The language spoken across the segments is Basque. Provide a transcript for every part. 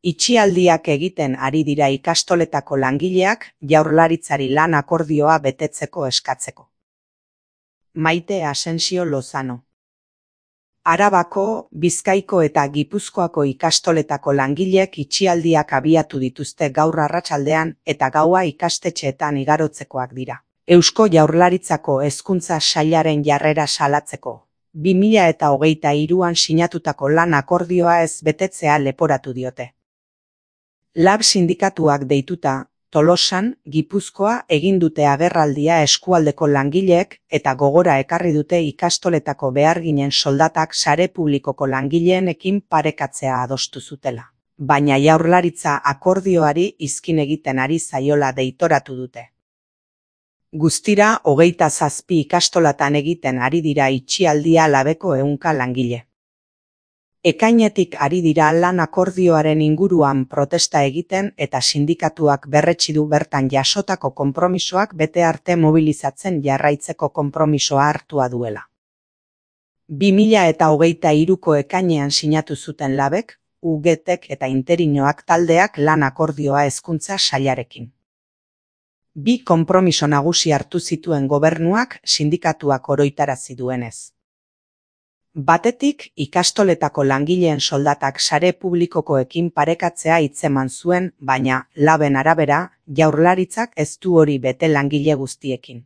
Itxialdiak egiten ari dira ikastoletako langileak Jaurlaritzari lan akordioa betetzeko eskatzeko. Maite Asensio Lozano. Arabako, Bizkaiko eta Gipuzkoako ikastoletako langileek itxialdiak abiatu dituzte gaur arratsaldean eta gaua ikastetxeetan igarotzekoak dira. Eusko Jaurlaritzako Hezkuntza Sailaren jarrera salatzeko, 2023an sinatutako lan akordioa ez betetzea leporatu diote. LAB sindikatuak deituta, Tolosan, Gipuzkoa egin dute agerraldia eskualdeko langileek eta gogora ekarri dute ikastoletako beharginen soldatak sare publikoko langileenekin parekatzea adostu zutela. Baina Jaurlaritza akordioari izkin egiten ari zaiola deitoratu dute. Guztira 27 ikastolatan egiten ari dira itxialdia LABeko 100 langile. Ekainetik ari dira lan akordioaren inguruan protesta egiten eta sindikatuak berretsi du bertan jasotako konpromisoak bete arte mobilizatzen jarraitzeko konpromisoa hartua duela. 2023ko ekainean sinatu zuten LABek, UGTek eta Interinoak taldeak lan akordioa Hezkuntza Sailarekin. Bi konpromiso nagusi hartu zituen gobernuak sindikatuak oroitarazi duenez. Batetik, ikastoletako langileen soldatak sare publikokoekin parekatzea hitzeman zuen, baina, LABen arabera, Jaurlaritzak ez du hori bete langile guztiekin.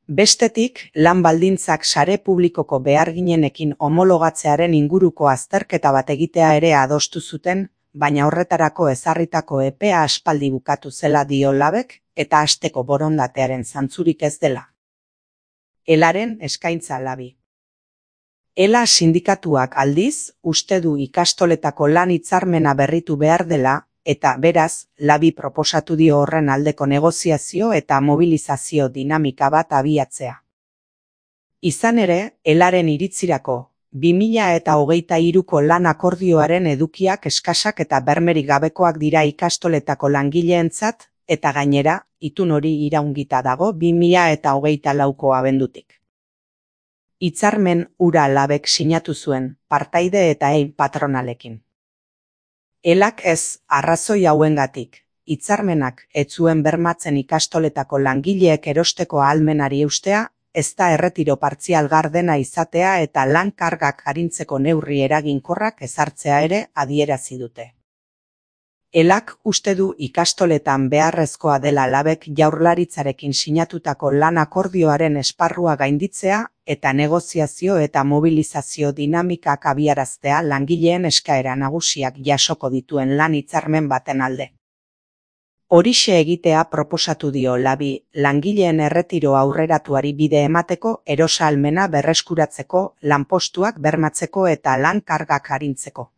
Bestetik, lan baldintzak sare publikoko beharginenekin homologatzearen inguruko azterketa bat egitea ere adostu zuten, baina horretarako ezarritako epea aspaldi bukatu zela dio LABek eta hasteko borondatearen zantzurik ez dela. ELAren eskaintza LABi. ELA sindikatuak aldiz, uste du ikastoletako lan hitzarmena berritu behar dela, eta beraz, LABi proposatu dio horren aldeko negoziazio eta mobilizazio dinamika bat abiatzea. Izan ere, ELAren iritzirako, 2023ko lan akordioaren edukiak eskasak eta bermerik gabekoak dira ikastoletako langileentzat, eta gainera, itun hori iraungita dago 2024ko abendutik. Hitzarmen hura LABek sinatu zuen, partaide eta patronalekin. ELAk ez, arrazoi hauengatik, hitzarmenak ez zuen bermatzen ikastoletako langileek erosteko ahalmenari eustea, ez da erretiro partzial gardena izatea eta lan kargak arintzeko neurri eraginkorrak ezartzea ere adierazi dute. ELAk uste du ikastoletan beharrezkoa dela LABek Jaurlaritzarekin sinatutako lan akordioaren esparrua gainditzea eta negoziazio eta mobilizazio dinamikak abiaraztea langileen eskaera nagusiak jasoko dituen lan hitzarmen baten alde. Horixe egitea proposatu dio LABi langileen erretiro aurreratuari bide emateko erosahalmena berreskuratzeko, lanpostuak bermatzeko eta lan kargak arintzeko.